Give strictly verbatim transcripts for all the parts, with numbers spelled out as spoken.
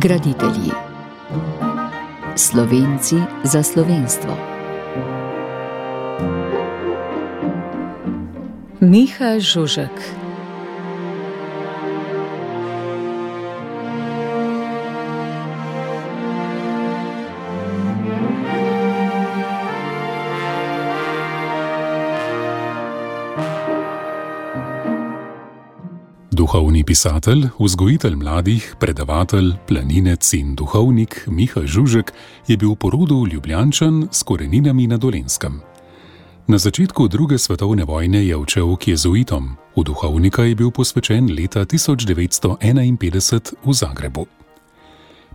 Graditelji. Slovenci za slovenstvo. Miha Žužek. Duhovni pisatelj, vzgojitelj mladih, predavatelj, planinec in duhovnik Miha Žužek je bil po rodu Ljubljančan s koreninami na Dolenjskem. Na začetku druge svetovne vojne je odšel k jezuitom, v duhovnika je bil posvečen leta tisoč devetsto enainpetdeset v Zagrebu.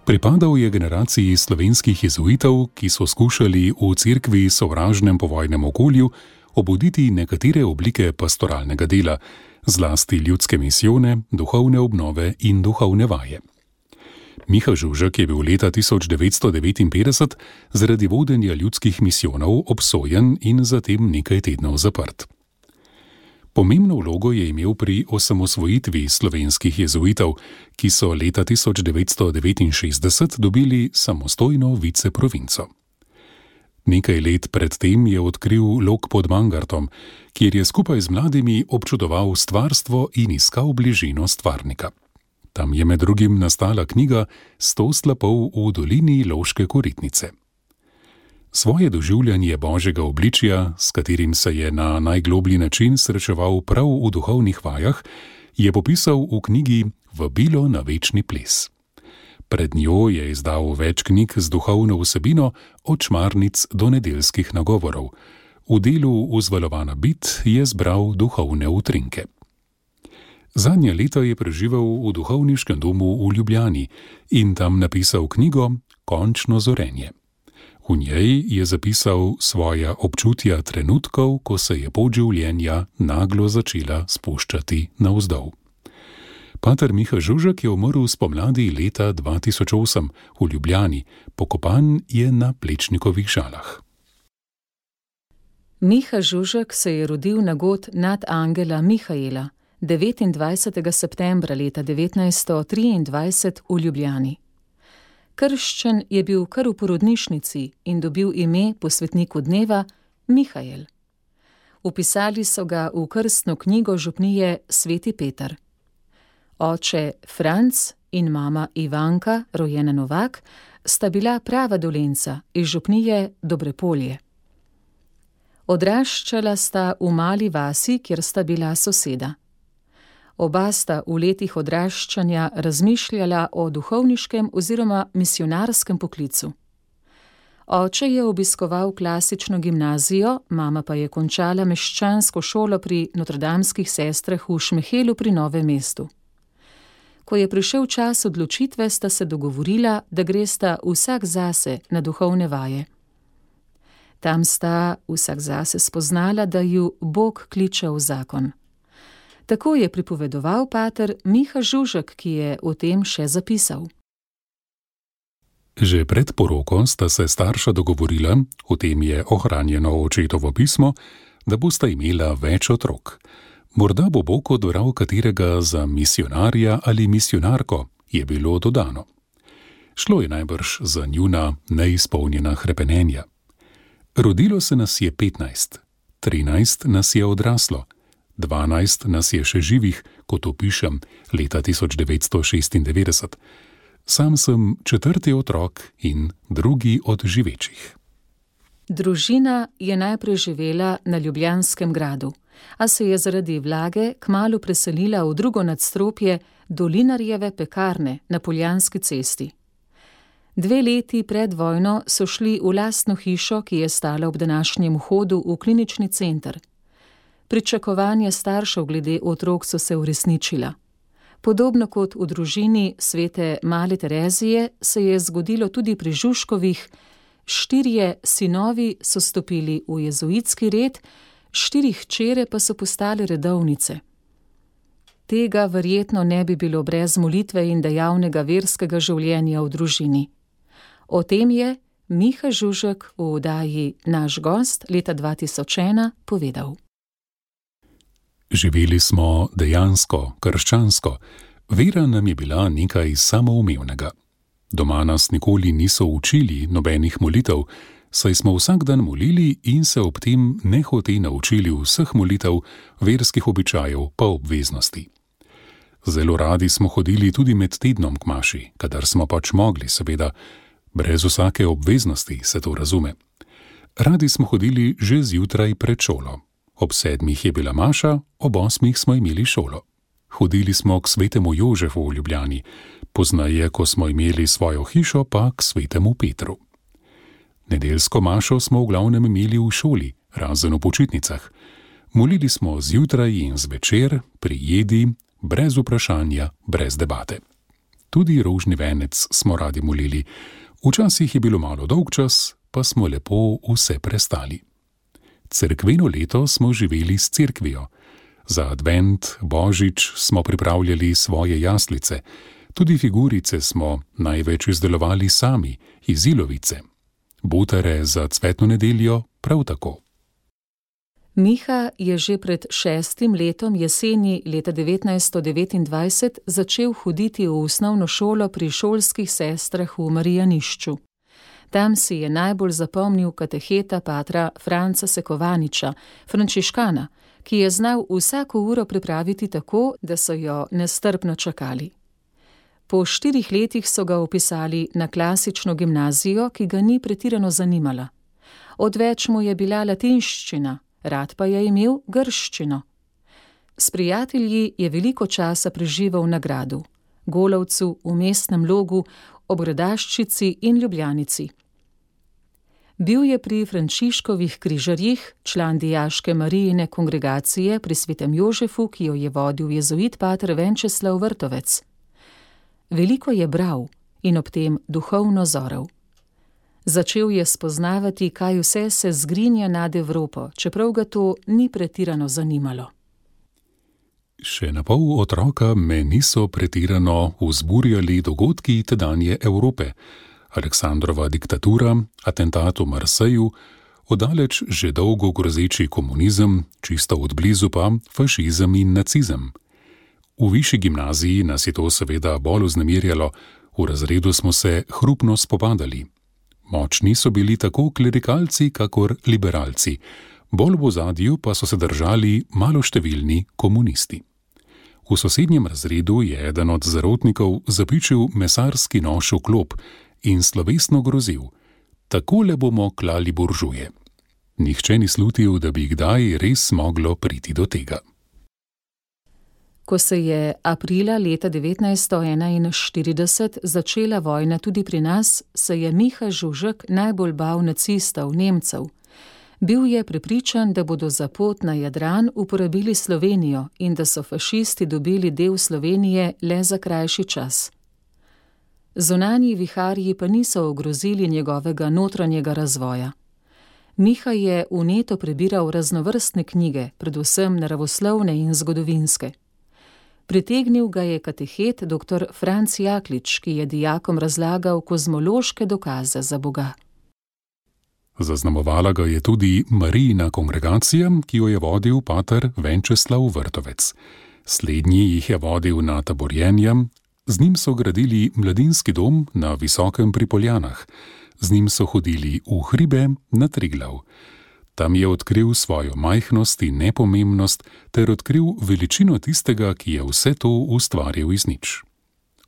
Pripadal je generaciji slovenskih jezuitov, ki so skušali v cerkvi sovražnem povojnem okolju obuditi nekatere oblike pastoralnega dela, zlasti ljudske misijone, duhovne obnove in duhovne vaje. Miha Žužek je bil leta tisoč devetsto devetinpetdeset zaradi vodenja ljudskih misijonov obsojen in zatem nekaj tednov zaprt. Pomembno vlogo je imel pri osamosvojitvi slovenskih jezuitov, ki so leta tisoč devetsto devetinšestdeset dobili samostojno viceprovinco. Nekaj let predtem je odkril lok pod Mangartom, kjer je skupaj z mladimi občudoval stvarstvo in iskal bližino stvarnika. Tam je med drugim nastala knjiga Sto slapov v dolini Loške Koritnice. Svoje doživljanje božjega obličja, s katerim se je na najgloblji način srečeval prav v duhovnih vajah, je popisal v knjigi Vabilo na večni ples. Pred njo je izdal več knjig z duhovno vsebino, od čmarnic do nedeljskih nagovorov. V delu Vzvalovana bit je zbral duhovne utrinke. Zadnja leta je preživel v duhovniškem domu v Ljubljani in tam napisal knjigo Končno zorenje. V njej je zapisal svoja občutja trenutkov, ko se je pot življenja naglo začela spuščati navzdol. Pater Miha Žužek je umrl spomladi leta dva tisoč osem v Ljubljani, pokopan je na Plečnikovih Žalah. Miha Žužek se je rodil na god nadangela Mihaela devetindvajsetega septembra leta devetnajststo triindvajset v Ljubljani. Krščen je bil kar v porodnišnici in dobil ime po svetniku dneva Mihael. Vpisali so ga v krstno knjigo župnije Sveti Peter. Oče Franc in mama Ivanka, rojena Novak, sta bila prava Dolenjca iz župnije Dobrepolje. Odraščala sta v mali vasi, kjer sta bila soseda. Oba sta v letih odraščanja razmišljala o duhovniškem oziroma misijonarskem poklicu. Oče je obiskoval klasično gimnazijo, mama pa je končala meščansko šolo pri notredamskih sestrah v Šmehelu pri Novem mestu. Ko je prišel čas odločitve, sta se dogovorila, da gresta vsak zase na duhovne vaje. Tam sta vsak zase spoznala, da ju Bog kliče v zakon. Tako je pripovedoval pater Miha Žužek, ki je o tem še zapisal. Že pred poroko sta se starša dogovorila, o tem je ohranjeno očetovo pismo, da bosta imela več otrok. Morda bo Bog odbral katerega za misijonarja ali misijonarko, je bilo dodano. Šlo je najbrž za njuna neizpolnjena hrepenenja. Rodilo se nas je petnajst, trinajst nas je odraslo, dvanajst nas je še živih, kot opišem, leta tisoč devetsto šestindevetdeset. Sam sem četrti otrok in drugi od živečih. Družina je najprej živela na Ljubljanskem gradu, a se je zaradi vlage kmalu preselila v drugo nadstropje Dolinarjeve pekarne na Poljanski cesti. Dve leti pred vojno so šli v lastno hišo, ki je stala ob današnjem vhodu v klinični center. Pričakovanja staršev glede otrok so se uresničila. Podobno kot v družini svete Male Terezije se je zgodilo tudi pri Žužkovih. Štirje sinovi so stopili v jezuitski red, štiri hčere pa so postale redovnice. Tega verjetno ne bi bilo brez molitve in dejavnega verskega življenja v družini. O tem je Miha Žužek v oddaji Naš gost leta dva tisoč ena povedal. Živeli smo dejansko, krščansko. Vera nam je bila nekaj samoumevnega. Doma nas nikoli niso učili nobenih molitev, saj smo vsak dan molili in se ob tem nehote naučili vseh molitev, verskih običajev pa obveznosti. Zelo radi smo hodili tudi med tednom k maši, kadar smo pač mogli, seveda, brez vsake obveznosti, se to razume. Radi smo hodili že zjutraj pred šolo. Ob sedmih je bila maša, ob osmih smo imeli šolo. Hodili smo k svetemu Jožefu v Ljubljani, poznaje, ko smo imeli svojo hišo, pa k svetemu Petru. Nedeljsko mašo smo v glavnem imeli v šoli, razen v počitnicah. Molili smo zjutraj in zvečer, pri jedi, brez vprašanja, brez debate. Tudi rožni venec smo radi molili. Včasih je bilo malo dolgčas, pa smo lepo vse prestali. Cerkveno leto smo živeli s cerkvijo. Za advent, božič smo pripravljali svoje jaslice. Tudi figurice smo največ izdelovali sami, iz ilovice. Butare za cvetno nedeljo prav tako. Miha je že pred šestim letom jeseni leta devetnajststo devetindvajset začel hoditi v osnovno šolo pri šolskih sestrah v Marijanišču. Tam si je najbolj zapomnil kateheta patra Franca Sekovaniča, frančiškana, ki je znal vsako uro pripraviti tako, da so jo nestrpno čakali. Po štirih letih so ga vpisali na klasično gimnazijo, ki ga ni pretirano zanimala. Odveč mu je bila latinščina, rad pa je imel grščino. S prijatelji je veliko časa preživel na gradu, Golovcu, v Mestnem Logu, ob Gradaščici in Ljubljanici. Bil je pri Frančiškovih križarjih, član dijaške Marijine kongregacije pri svetem Jožefu, ki jo je vodil jezuit pater Venčeslav Vrtovec. Veliko je bral in ob tem duhovno zoral. Začel je spoznavati, kaj vse se zgrinja nad Evropo, čeprav ga to ni pretirano zanimalo. Še na pol otroka me niso pretirano vzburjali dogodki tedanje Evrope. Aleksandrova diktatura, atentat v Marseju, oddaleč že dolgo grozeči komunizem, čisto od blizu pa fašizem in nacizem. V višji gimnaziji nas je to seveda bolj vznemirjalo, v razredu smo se hrupno spopadali. Močni so bili tako klerikalci kakor liberalci, bolj v ozadju pa so se držali maloštevilni komunisti. V sosednjem razredu je eden od zarotnikov zapičil mesarski nož v klop in slovesno grozil: takole bomo klali buržuje. Nihče ni slutil, da bi kdaj res moglo priti do tega. Ko se je aprila leta devetnajststo enainštirideset začela vojna tudi pri nas, se je Miha Žužek najbolj bal nacistov, Nemcev. Bil je prepričan, da bodo za pot na Jadran uporabili Slovenijo in da so fašisti dobili del Slovenije le za krajši čas. Zunanji viharji pa niso ogrozili njegovega notranjega razvoja. Miha je vneto prebiral raznovrstne knjige, predvsem naravoslovne in zgodovinske. Pritegnil ga je katehet doktor Franc Jaklič, ki je dijakom razlagal kozmološke dokaze za Boga. Zaznamovala ga je tudi Marijina kongregacija, ki jo je vodil pater Venčeslav Vrtovec. Slednji jih je vodil na taborjenja, z njim so gradili mladinski dom na Visokem pri Poljanah, z njim so hodili v hribe na Triglav. Tam je odkril svojo majhnost in nepomembnost ter odkril veličino tistega, ki je vse to ustvaril iz nič.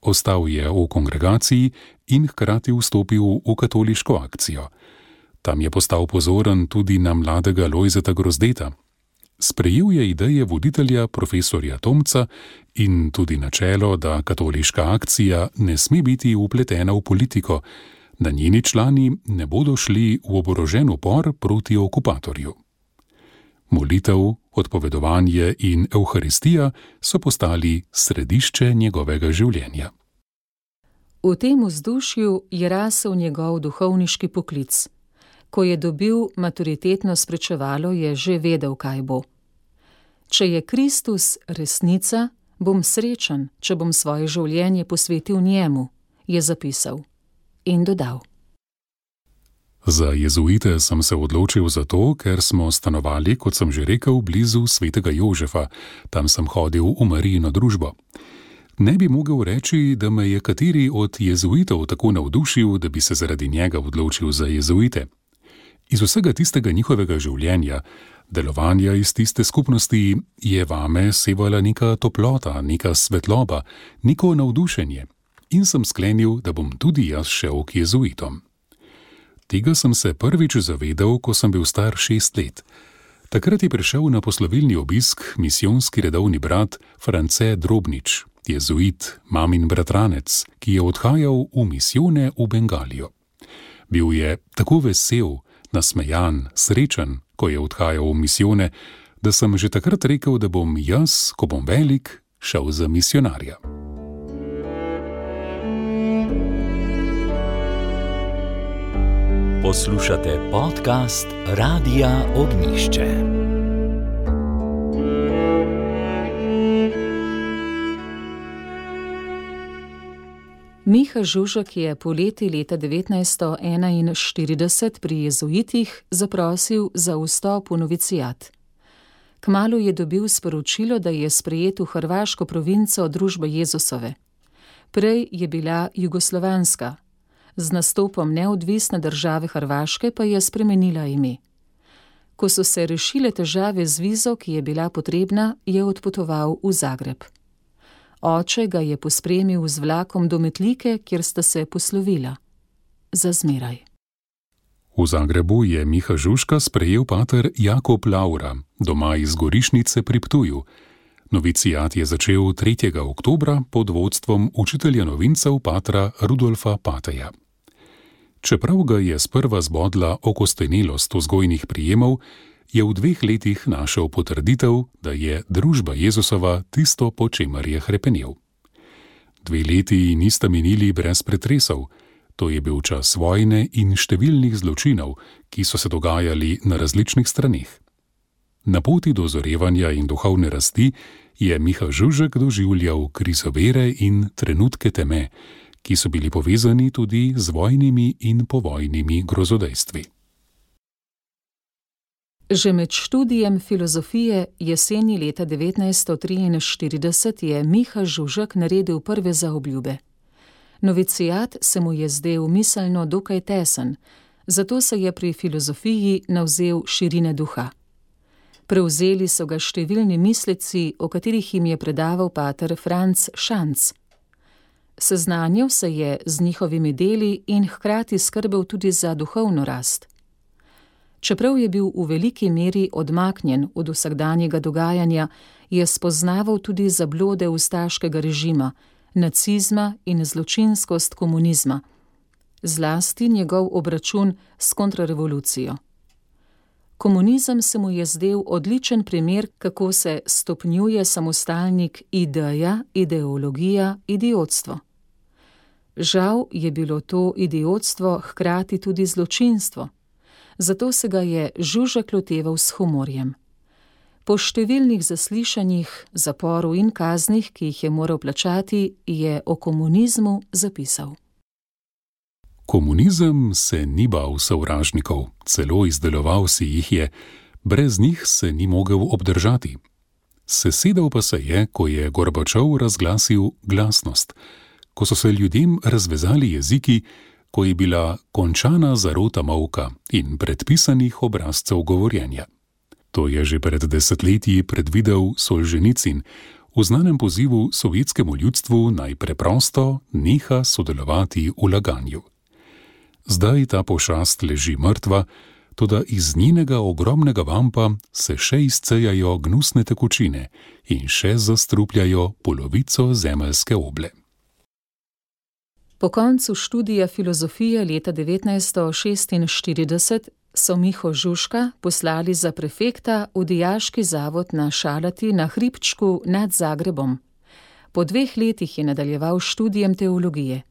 Ostal je v kongregaciji in hkrati vstopil v katoliško akcijo. Tam je postal pozoren tudi na mladega Lojzeta Grozdeta. Sprejel je ideje voditelja profesorja Tomca in tudi načelo, da katoliška akcija ne sme biti vpletena v politiko, da njeni člani ne bodo šli v oborožen upor proti okupatorju. Molitev, odpovedovanje in evharistija so postali središče njegovega življenja. V tem vzdušju je rasel njegov duhovniški poklic. Ko je dobil maturitetno spričevalo, je že vedel, kaj bo. Če je Kristus resnica, bom srečen, če bom svoje življenje posvetil njemu, je zapisal in dodal. Za jezuite sem se odločil zato, ker smo stanovali, kot sem že rekel, blizu svetega Jožefa. Tam sem hodil v Marijino družbo. Ne bi mogel reči, da me je kateri od jezuitov tako navdušil, da bi se zaradi njega odločil za jezuite. Iz vsega tistega njihovega življenja, delovanja iz tiste skupnosti, je vame sevala neka toplota, neka svetloba, neko navdušenje in sem sklenil, da bom tudi jaz šel k jezuitom. Tega sem se prvič zavedal, ko sem bil star šest let. Takrat je prišel na poslovilni obisk misijonski redovni brat France Drobnič, jezuit, mamin bratranec, ki je odhajal v misijone v Bengalijo. Bil je tako vesel, nasmejan, srečen, ko je odhajal v misijone, da sem že takrat rekel, da bom jaz, ko bom velik, šel za misionarja. Poslušate podcast Radia Ognjišče. Miha Žužek je poleti leta devetnajststo enainštirideset pri jezuitih zaprosil za vstop v novicijat. Kmalu je dobil sporočilo, da je sprejet v hrvaško provinco Družbe Jezusove. Prej je bila jugoslovanska. Z nastopom neodvisne države Hrvaške pa je spremenila ime. Ko so se rešile težave z vizo, ki je bila potrebna, je odpotoval v Zagreb. Oče ga je pospremil z vlakom do Metlike, kjer sta se poslovila. Za zmeraj. V Zagrebu je Miha Žužka sprejel pater Jakob Laura, doma iz Gorišnice pri Ptuju. Novicijat je začel tretjega oktobra pod vodstvom učitelja novincev patra Rudolfa Pateja. Čeprav ga je sprva zbodla okostenelost vzgojnih prijemov, je v dveh letih našel potrditev, da je Družba Jezusova tisto, po čemer je hrepenel. Dve leti nista minili brez pretresov. To je bil čas vojne in številnih zločinov, ki so se dogajali na različnih straneh. Na poti do zorevanja in duhovne rasti je Miha Žužek doživljal krizo vere in trenutke teme, ki so bili povezani tudi z vojnimi in povojnimi grozodejstvi. Že med študijem filozofije jeseni leta devetnajststo triinštirideset je Miha Žužek naredil prve zaobljube. Novicijat se mu je zdel miselno dokaj tesen, zato se je pri filozofiji navzel širine duha. Prevzeli so ga številni misleci, o katerih jim je predaval pater Franc Šanc. Seznanil se je z njihovimi deli in hkrati skrbel tudi za duhovno rast. Čeprav je bil v veliki meri odmaknjen od vsakdanjega dogajanja, je spoznaval tudi zablode ustaškega režima, nacizma in zločinskost komunizma, zlasti njegov obračun s kontrarevolucijo. Komunizem se mu je zdel odličen primer, kako se stopnjuje samostalnik ideja, ideologija, idiotstvo. Žal je bilo to idiotstvo hkrati tudi zločinstvo, zato se ga je Žužek loteval s humorjem. Po številnih zaslišanjih, zaporu in kaznih, ki jih je moral plačati, je o komunizmu zapisal. Komunizem se ni bal sovražnikov, celo izdeloval si jih je, brez njih se ni mogel obdržati. Sesedel pa se je, ko je Gorbačov razglasil glasnost, ko so se ljudem razvezali jeziki, ko je bila končana zarota molka in predpisanih obrazcev govorjenja. To je že pred desetletji predvidel Solženicin v znanem pozivu sovjetskemu ljudstvu naj preprosto neha sodelovati v laganju. Zdaj ta pošast leži mrtva, toda iz njenega ogromnega vampa se še izcejajo gnusne tekočine in še zastrupljajo polovico zemeljske oble. Po koncu študija filozofije leta devetnajststo šestinštirideset so Miho Žužka poslali za prefekta v dijaški zavod na Šalati na hribčku nad Zagrebom. Po dveh letih je nadaljeval študijem teologije.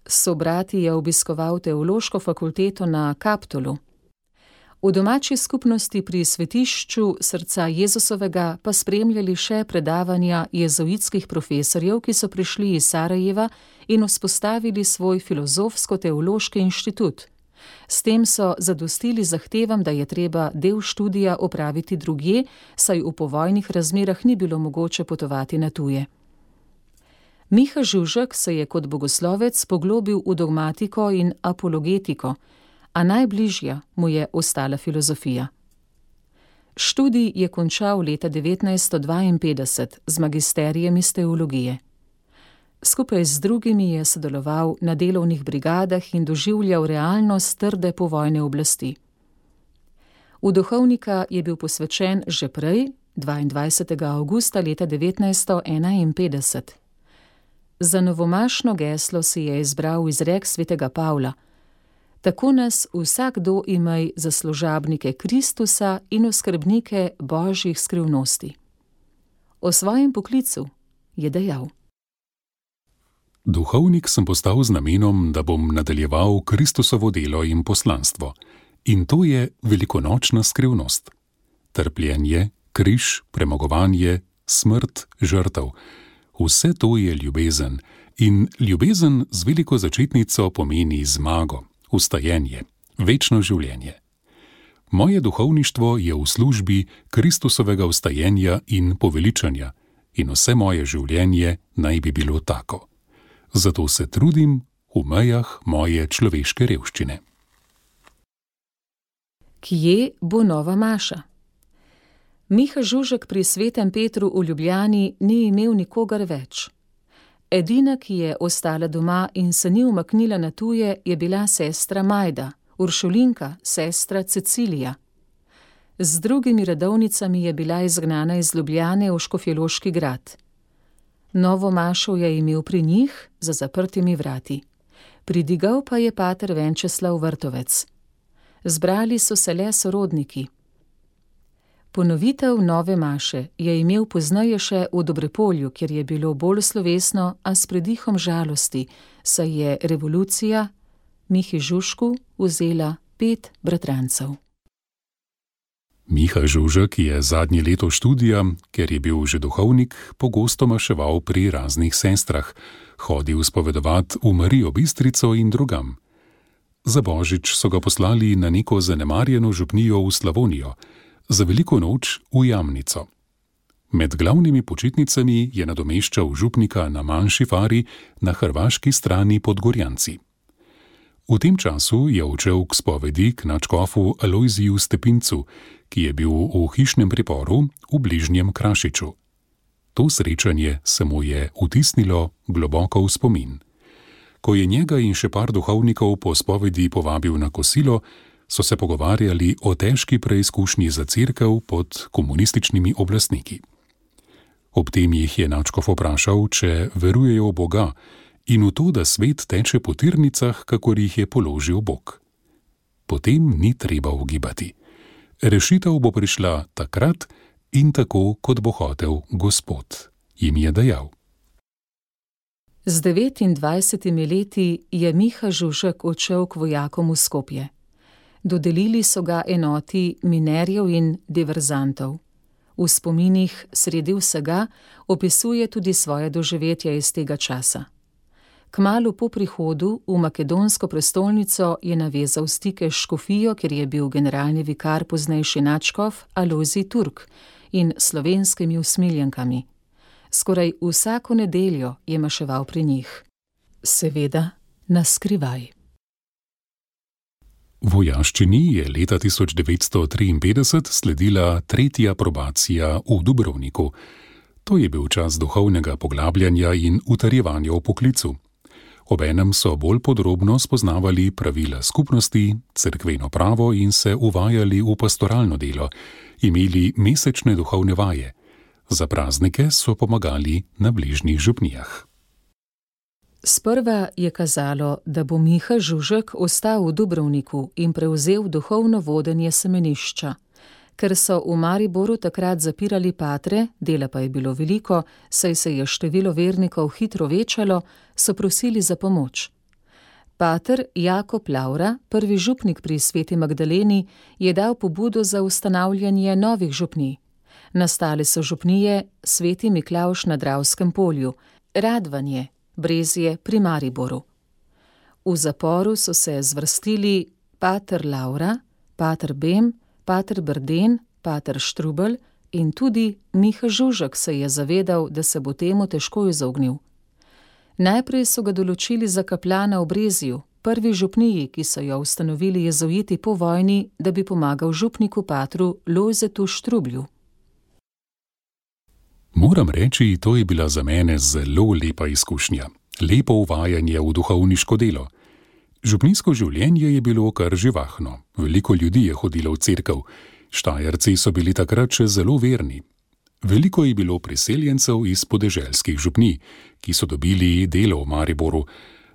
S sobrati je obiskoval teološko fakulteto na Kaptolu. V domači skupnosti pri svetišču Srca Jezusovega pa spremljali še predavanja jezuitskih profesorjev, ki so prišli iz Sarajeva in vzpostavili svoj filozofsko-teološki inštitut. S tem so zadostili zahtevam, da je treba del študija opraviti drugje, saj v povojnih razmerah ni bilo mogoče potovati na tuje. Miha Žužek se je kot bogoslovec poglobil v dogmatiko in apologetiko, a najbližja mu je ostala filozofija. Študij je končal leta devetnajststo dvainpetdeset z magisterijem iz teologije. Skupaj z drugimi je sodeloval na delovnih brigadah in doživljal realnost trde povojne oblasti. V duhovnika je bil posvečen že prej, dvaindvajsetega avgusta leta devetnajststo enainpetdeset. Za novomašno geslo si je izbral izrek svetega Pavla: Tako nas vsakdo imej za služabnike Kristusa in oskrbnike božjih skrivnosti. O svojem poklicu je dejal: Duhovnik sem postal z namenom, da bom nadaljeval Kristusovo delo in poslanstvo. In to je velikonočna skrivnost. Trpljenje, križ, premagovanje, smrt, žrtev. Vse to je ljubezen. In ljubezen z veliko začetnico pomeni zmago, vstajenje, večno življenje. Moje duhovništvo je v službi Kristusovega vstajenja in poveličanja in vse moje življenje naj bi bilo tako. Zato se trudim v mejah moje človeške revščine. Kje bo nova maša? Miha Žužek pri Svetem Petru v Ljubljani ni imel nikogar več. Edina, ki je ostala doma in se ni umaknila na tuje, je bila sestra Majda, uršulinka, sestra Cecilija. Z drugimi redovnicami je bila izgnana iz Ljubljane v Škofjeloški grad. Novo mašo je imel pri njih za zaprtimi vrati. Pridigal pa je pater Venčeslav Vrtovec. Zbrali so se le sorodniki. Ponovitev nove maše je imel pozneje še v Dobrepolju, kjer je bilo bolj slovesno, a s predihom žalosti, saj je revolucija Mihi Žužku vzela pet bratrancev. Miha Žužek je zadnje leto študija, ker je bil že duhovnik, pogosto maševal pri raznih sestrah, hodil spovedovat v Marijo Bistrico in drugam. Za božič so ga poslali na neko zanemarjeno župnijo v Slavonijo, za veliko noč v Jamnico. Med glavnimi počitnicami je nadomeščal župnika na manjši fari na hrvaški strani pod Gorjanci. V tem času je odšel k spovedi k nadškofu Alojziju Stepincu, ki je bil v hišnem priporu v bližnjem Krašiču. To srečanje se mu je vtisnilo globoko v spomin. Ko je njega in še par duhovnikov po spovedi povabil na kosilo, so se pogovarjali o težki preizkušnji za cerkev pod komunističnimi oblastniki. Ob tem jih je nadškof vprašal, če verujejo v Boga in v to, da svet teče po tirnicah, kakor jih je položil Bog. Potem ni treba ugibati. Rešitev bo prišla takrat in tako, kot bo hotel Gospod, jim je dejal. Z devetindvajsetimi leti je Miha Žužek odšel k vojakom v Skopje. Dodelili so ga enoti minerjev in diverzantov. V spominih sredi vsega opisuje tudi svoje doživetja iz tega časa. Kmalu po prihodu v makedonsko prestolnico je navezal stike s škofijo, kjer je bil generalni vikar poznejši nadškof Alojzij Turk in slovenskimi usmiljenkami. Skoraj vsako nedeljo je maševal pri njih. Seveda na skrivaj. Vojaščini je leta tisoč devetsto triinpetdeset sledila tretja probacija v Dubrovniku. To je bil čas duhovnega poglabljanja in utrjevanja v poklicu. Obenem so bolj podrobno spoznavali pravila skupnosti, cerkveno pravo in se uvajali v pastoralno delo, imeli mesečne duhovne vaje. Za praznike so pomagali na bližnjih župnijah. Sprva je kazalo, da bo Miha Žužek ostal v Dubrovniku in prevzel duhovno vodenje semenišča. Ker so v Mariboru takrat zapirali patre, dela pa je bilo veliko, saj se je število vernikov hitro večalo, so prosili za pomoč. Pater Jakob Lavra, prvi župnik pri Sveti Magdaleni, je dal pobudo za ustanavljanje novih župnij. Nastale so župnije Sveti Miklavž na Dravskem polju, Radvanje, Brezje pri Mariboru. V zaporu so se zvrstili pater Lavra, pater Bem, pater Brden, pater Štrubelj in tudi Miha Žužek se je zavedal, da se bo temu težko izognil. Najprej so ga določili za kaplana v Brezju, prvi župniji, ki so jo ustanovili jezuiti po vojni, da bi pomagal župniku patru Lojzetu Štrublju. Moram reči, to je bila za mene zelo lepa izkušnja, lepo uvajanje v duhovniško delo. Župnijsko življenje je bilo kar živahno, veliko ljudi je hodilo v cerkev, Štajerci so bili takrat še zelo verni. Veliko je bilo priseljencev iz podeželskih župnij, ki so dobili delo v Mariboru.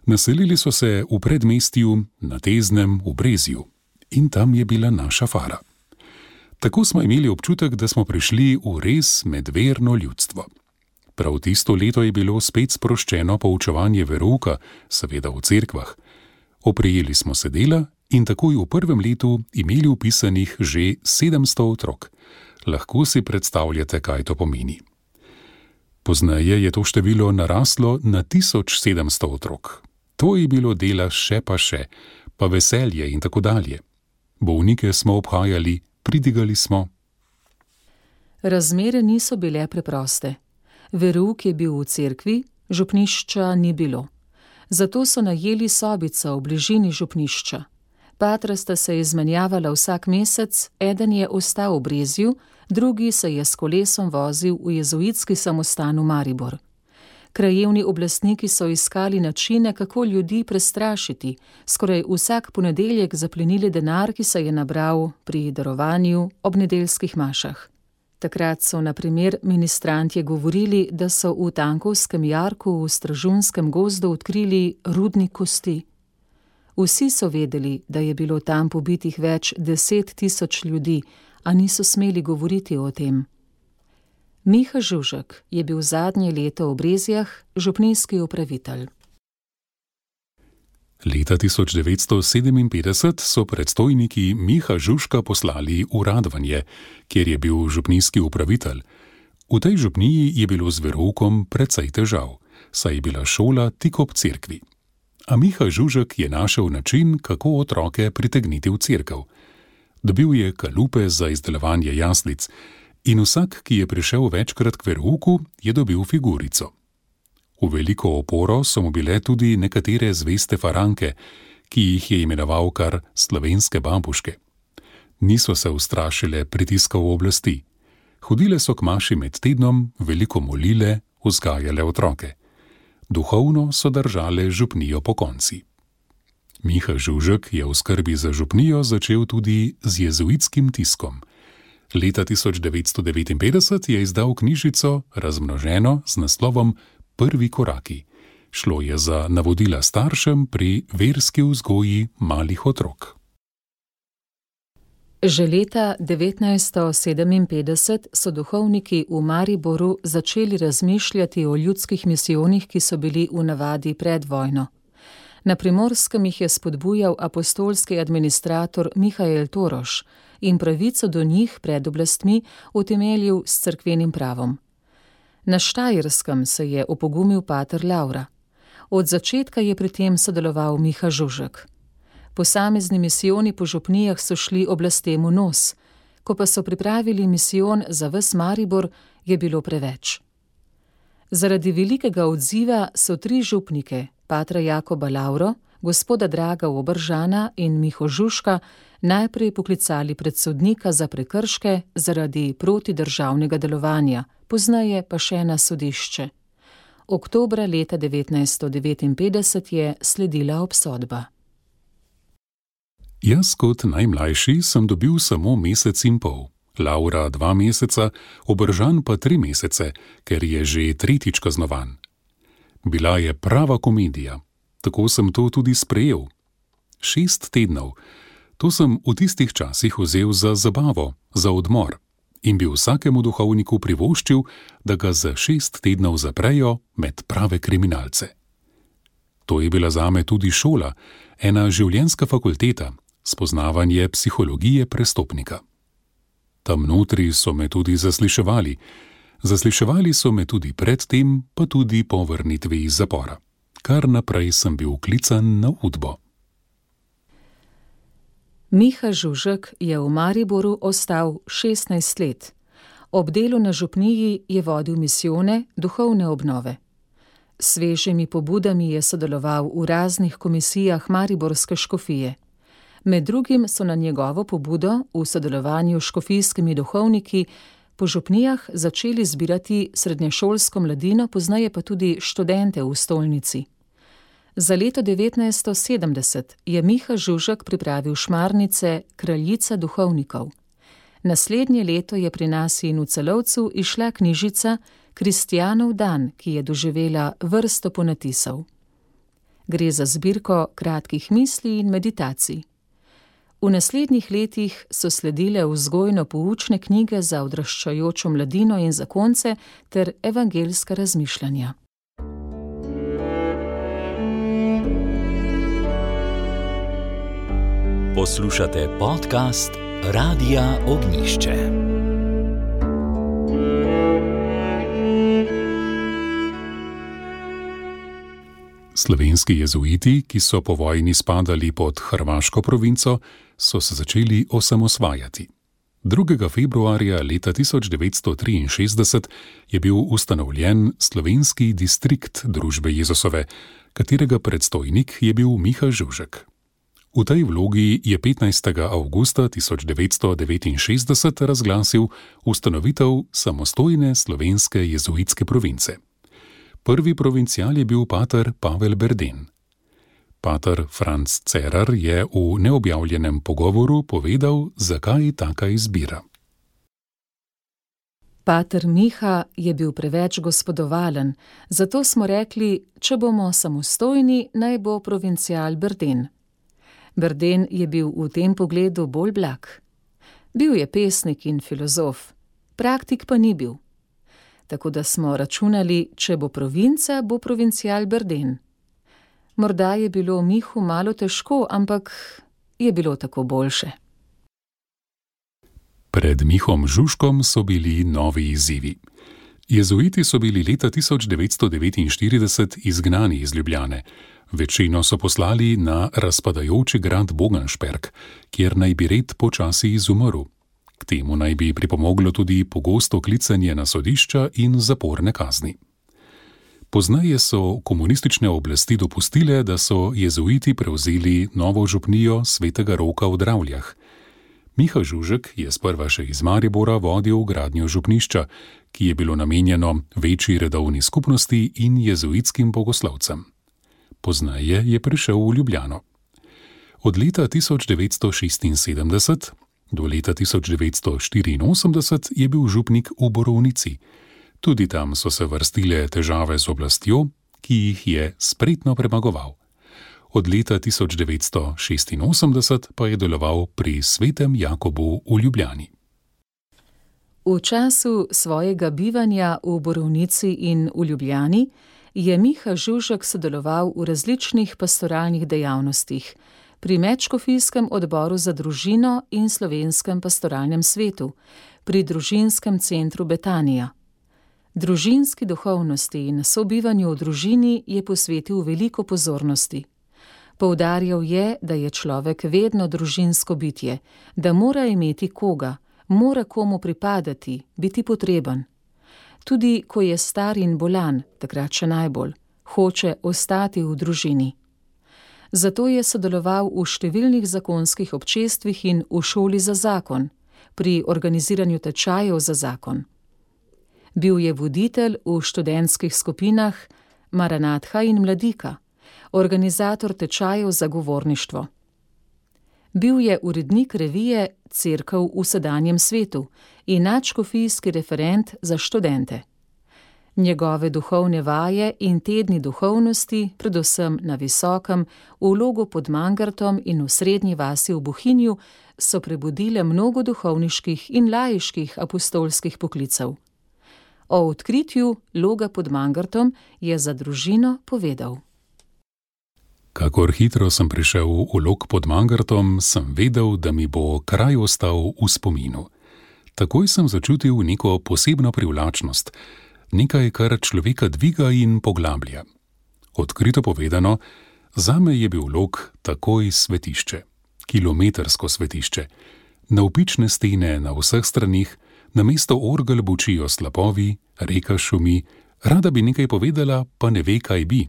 Naselili so se v predmestju, na Teznem, v Brezju, in tam je bila naša fara. Tako smo imeli občutek, da smo prišli v res medverno ljudstvo. Prav tisto leto je bilo spet sproščeno poučevanje verouka, seveda v cerkvah. Oprijeli smo se dela in takoj v prvem letu imeli vpisanih že sedemsto otrok. Lahko si predstavljate, kaj to pomeni. Pozneje je to število naraslo na tisoč sedemsto otrok. To je bilo dela še pa še, pa veselje in tako dalje. Bolnike smo obhajali, pridigali smo. Razmere niso bile preproste. Verouk je bil v cerkvi, župnišča ni bilo. Zato so najeli sobico v bližini župnišča. Patra sta se izmenjavala vsak mesec, eden je ostal v Brezju, drugi se je s kolesom vozil v jezuitski samostan v Maribor. Krajevni oblastniki so iskali načine, kako ljudi prestrašiti, skoraj vsak ponedeljek zaplenili denar, ki se je nabral pri darovanju ob nedeljskih mašah. Takrat so na primer ministrantje govorili, da so v Tankovskem jarku v Stražunskem gozdu odkrili rudnik kosti. Vsi so vedeli, da je bilo tam pobitih več deset tisoč ljudi, a niso smeli govoriti o tem. Miha Žužek je bil zadnje leto v Brezjah župnijski upravitelj. Leta tisoč devetsto sedeminpetdeset so predstojniki Miha Žužka poslali v Radvanje, kjer je bil župnijski upravitelj. V tej župniji je bilo z veroukom precej težav, saj je bila šola tik ob cerkvi. A Miha Žužek je našel način, kako otroke pritegniti v cerkev. Dobil je kalupe za izdelovanje jaslic in vsak, ki je prišel večkrat k verouku, je dobil figurico. V veliko oporo so mu bile tudi nekatere zveste faranke, ki jih je imenoval kar slovenske bambuške. Niso se ustrašile pritiskov oblasti. Hodile so k maši med tednom, veliko molile, vzgajale otroke. Duhovno so držale župnijo pokonci. Miha Žužek je v skrbi za župnijo začel tudi z jezuitskim tiskom. Leta tisoč devetsto devetinpetdeset je izdal knjižico, razmnoženo z naslovom Prvi koraki. Šlo je za navodila staršem pri verski vzgoji malih otrok. Že leta devetnajststo sedeminpetdeset so duhovniki v Mariboru začeli razmišljati o ljudskih misijonih, ki so bili v navadi pred vojno. Na Primorskem jih je spodbujal apostolski administrator Mihael Toroš in pravico do njih pred oblastmi utemeljil s cerkvenim pravom. Na Štajerskem se je opogumil pater Laura. Od začetka je pri tem sodeloval Miha Žužek. Posamezni misijoni po župnijah so šli oblastem v nos, ko pa so pripravili misijon za ves Maribor, je bilo preveč. Zaradi velikega odziva so tri župnike, patra Jakoba Lauro, gospoda Draga Obržana in Miho Žužka, najprej poklicali pred sodnika za prekrške zaradi protidržavnega delovanja, pozneje pa še na sodišče. Oktobra leta devetnajststo devetinpetdeset je sledila obsodba. Jaz kot najmlajši sem dobil samo mesec in pol, Laura dva meseca, Obržan pa tri mesece, ker je že tretjič kaznovan. Bila je prava komedija, tako sem to tudi sprejel. Šest tednov, to sem v tistih časih vzel za zabavo, za odmor in bi vsakemu duhovniku privoščil, da ga za šest tednov zaprejo med prave kriminalce. To je bila zame tudi šola, ena življenjska fakulteta, spoznavanje psihologije prestopnika. Tam notri so me tudi zasliševali. Zasliševali so me tudi predtem, pa tudi po vrnitvi iz zapora. Kar naprej sem bil klican na udbo. Miha Žužek je v Mariboru ostal šestnajst let. Ob delu na župniji je vodil misijone, duhovne obnove. S svežimi pobudami je sodeloval v raznih komisijah mariborske škofije. Med drugim so na njegovo pobudo v sodelovanju s škofijskimi duhovniki po župnijah začeli zbirati srednješolsko mladino, pozneje pa tudi študente v stolnici. Za leto devetnajststo sedemdeset je Miha Žužek pripravil šmarnice Kraljica duhovnikov. Naslednje leto je pri nas in v Celovcu izšla knjižica Kristjanov dan, ki je doživela vrsto ponatisov. Gre za zbirko kratkih misli in meditacij. V naslednjih letih so sledile vzgojno-poučne knjige za odraščajočo mladino in zakonce ter evangeljska razmišljanja. Poslušate podcast Radia Ognišče. Slovenski jezuiti, ki so po vojni spadali pod hrvaško provinco, so se začeli osamosvajati. drugega februarja leta tisoč devetsto triinšestdeset je bil ustanovljen slovenski distrikt Družbe Jezusove, katerega predstojnik je bil Miha Žužek. V tej vlogi je petnajstega avgusta tisoč devetsto devetinšestdeset razglasil ustanovitev samostojne slovenske jezuitske province. Prvi provincial je bil pater Pavel Berden. Pater Franc Cerar je v neobjavljenem pogovoru povedal, zakaj taka izbira. Pater Miha je bil preveč gospodovalen, zato smo rekli, če bomo samostojni, naj bo provincial Berden. Berden je bil v tem pogledu bolj blag. Bil je pesnik in filozof, praktik pa ni bil. Tako da smo računali, če bo provinca, bo provincial Berden. Morda je bilo Mihu malo težko, ampak je bilo tako boljše. Pred Mihom Žužkom so bili novi izzivi. Jezuiti so bili leta tisoč devetsto devetinštirideset izgnani iz Ljubljane. Večino so poslali na razpadajoči grad Boganšperk, kjer naj bi red počasi izumrl. K temu naj bi pripomoglo tudi pogosto klicanje na sodišča in zaporne kazni. Pozneje so komunistične oblasti dopustile, da so jezuiti prevzeli novo župnijo Svetega Roka v Dravljah. Miha Žužek je sprva še iz Maribora vodil gradnjo župnišča, ki je bilo namenjeno večji redovni skupnosti in jezuitskim bogoslovcem. Pozneje je prišel v Ljubljano. Od leta tisoč devetsto šestinsedemdeset do leta tisoč devetsto štiriinosemdeset je bil župnik v Borovnici. Tudi tam so se vrstile težave z oblastjo, ki jih je spretno premagoval. Od leta tisoč devetsto šestinosemdeset pa je deloval pri Svetem Jakobu v Ljubljani. V času svojega bivanja v Borovnici in v Ljubljani je Miha Žužek sodeloval v različnih pastoralnih dejavnostih, pri Medškofijskem odboru za družino in Slovenskem pastoralnem svetu, pri družinskem centru Betanija. Družinski duhovnosti in sobivanju v družini je posvetil veliko pozornosti. Poudarjal je, da je človek vedno družinsko bitje, da mora imeti koga, mora komu pripadati, biti potreben. Tudi ko je star in bolan, takrat še najbolj, hoče ostati v družini. Zato je sodeloval v številnih zakonskih občestvih in v šoli za zakon, pri organiziranju tečajev za zakon. Bil je voditelj v študentskih skupinah Maranatha in Mladika, organizator tečajev za govorništvo. Bil je urednik revije Cerkev v sedanjem svetu in nadškofijski referent za študente. Njegove duhovne vaje in tedni duhovnosti, predvsem na Visokem, v Logu pod Mangartom in v srednji vasi v Bohinju, so prebudile mnogo duhovniških in laiških apostolskih poklicev. O odkritju Loga pod Mangartom je za družino povedal. Kakor hitro sem prišel v Log pod Mangartom, sem vedel, da mi bo kraj ostal v spominu. Takoj sem začutil neko posebno privlačnost, nekaj, kar človeka dviga in poglablja. Odkrito povedano, zame je bil Log takoj svetišče, kilometrsko svetišče. Navpične stene na vseh stranih, namesto orgel bučijo slapovi, reka šumi, Rada bi nekaj povedala, pa ne ve, kaj bi.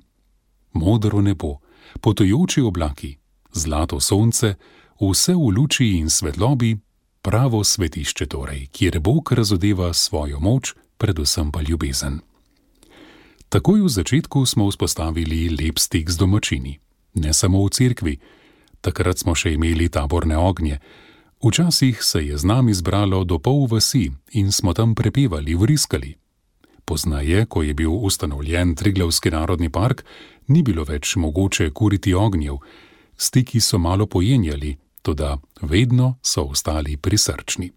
Modro nebo, potujoči oblaki, zlato sonce, vse v luči in svetlobi, pravo svetišče torej, kjer Bog razodeva svojo moč, predvsem pa ljubezen. Takoj v začetku smo vzpostavili lep stik z domačini. Ne samo v cerkvi, takrat smo še imeli taborne ognje. Včasih se je z nami zbralo do pol vasi in smo tam prepevali, vriskali. Poznaje, ko je bil ustanovljen Triglavski narodni park, ni bilo več mogoče kuriti ognjev. Stiki so malo pojenjali, toda vedno so ostali prisrčni.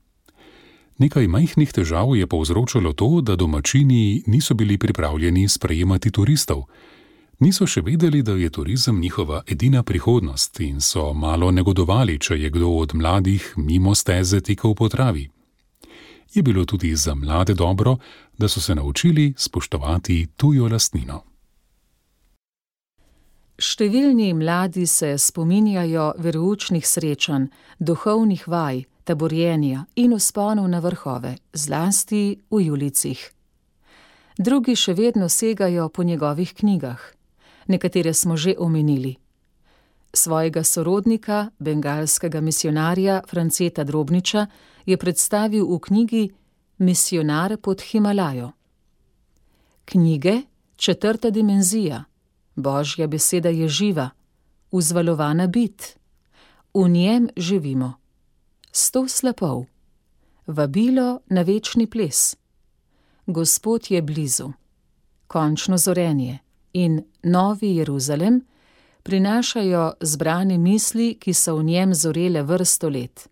Nekaj majhnih težav je povzročalo to, da domačini niso bili pripravljeni sprejemati turistov. Niso še vedeli, da je turizem njihova edina prihodnost in so malo negodovali, če je kdo od mladih mimo steze tekel po travi. Je bilo tudi za mlade dobro, da so se naučili spoštovati tujo lastnino. Številni mladi se spominjajo veroučnih srečanj, duhovnih vaj, taborjenja in vzponov na vrhove, zlasti v Julijcih. Drugi še vedno segajo po njegovih knjigah. Nekatere smo že omenili. Svojega sorodnika, bengalskega misijonarja Franceta Drobniča, je predstavil v knjigi Misijonar pod Himalajo. Knjige Četrta dimenzija, Božja beseda je živa, vzvalovana bit, v njem živimo. Sto slapov, vabilo na večni ples, Gospod je blizu, končno zorenje in Novi Jeruzalem prinašajo zbrane misli, ki so v njem zorele vrsto let.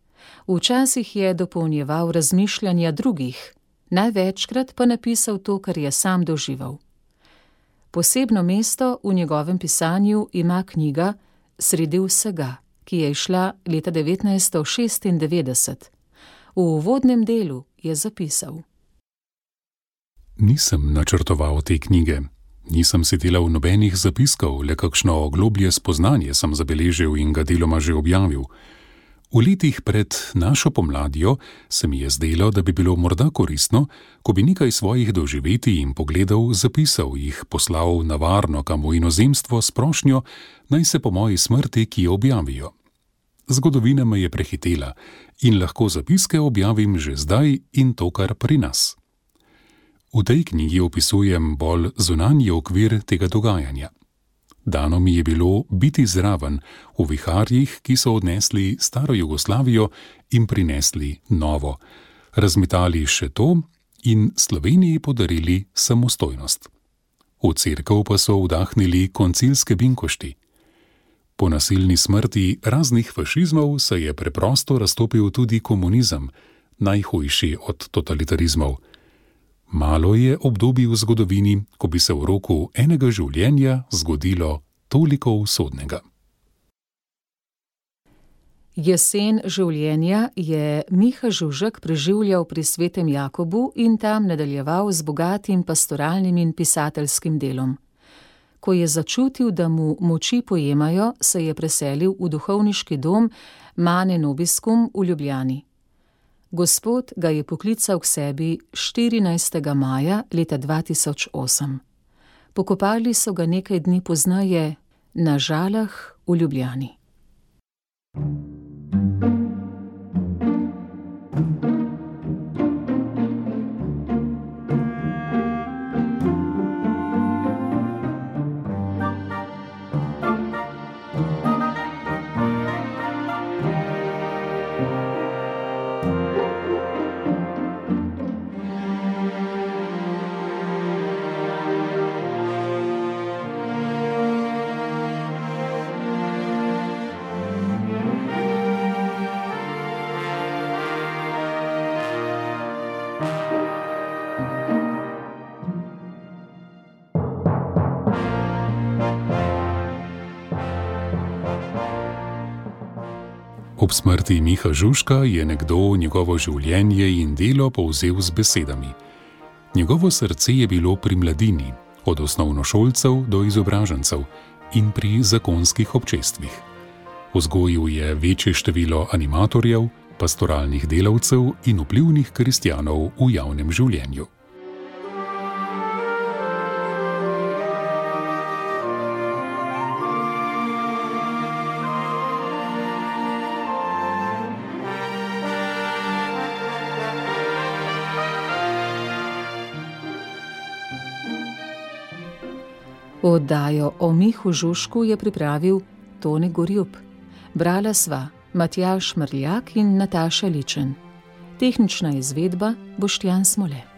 Včasih je dopolnjeval razmišljanja drugih, največkrat pa napisal to, kar je sam doživel. Posebno mesto v njegovem pisanju ima knjiga Sredi vsega, ki je izšla leta devetnajststo šestindevetdeset. V uvodnem delu je zapisal: Nisem načrtoval te knjige. Nisem si delal nobenih zapiskov, le kakšno globlje spoznanje sem zabeležil in ga deloma že objavil. V letih pred našo pomladjo se mi je zdelo, da bi bilo morda koristno, ko bi nekaj svojih doživetij in pogledov zapisal, jih poslal na varno kam v inozemstvo s prošnjo, naj se po moji smrti kje objavijo. Zgodovina me je prehitela in lahko zapiske objavim že zdaj in to kar pri nas. V tej knjigi opisujem bolj zunanji okvir tega dogajanja. Dano mi je bilo biti zraven v viharjih, ki so odnesli staro Jugoslavijo in prinesli novo, razmetali še to in Sloveniji podarili samostojnost. V cerkev pa so vdahnili koncilske binkošti. Po nasilni smrti raznih fašizmov se je preprosto raztopil tudi komunizem, najhujši od totalitarizmov. Malo je obdobij v zgodovini, ko bi se v roku enega življenja zgodilo toliko usodnega. Jesen življenja je Miha Žužek preživljal pri Svetem Jakobu in tam nadaljeval z bogatim pastoralnim in pisateljskim delom. Ko je začutil, da mu moči pojemajo, se je preselil v duhovniški dom Mane Nobiscum v Ljubljani. Gospod ga je poklical k sebi štirinajstega maja leta dva tisoč osem. Pokopali so ga nekaj dni pozneje na Žalah v Ljubljani. Ob smrti Miha Žužka je nekdo njegovo življenje in delo povzel z besedami. Njegovo srce je bilo pri mladini, od osnovnošolcev do izobražencev in pri zakonskih občestvih. Vzgojil je večje število animatorjev, pastoralnih delavcev in vplivnih kristjanov v javnem življenju. Oddajo o Mihu Žužku je pripravil Tone Gorjup. Brala sva Matjaž Mrljak in Nataša Ličen. Tehnična izvedba Boštjan Smole.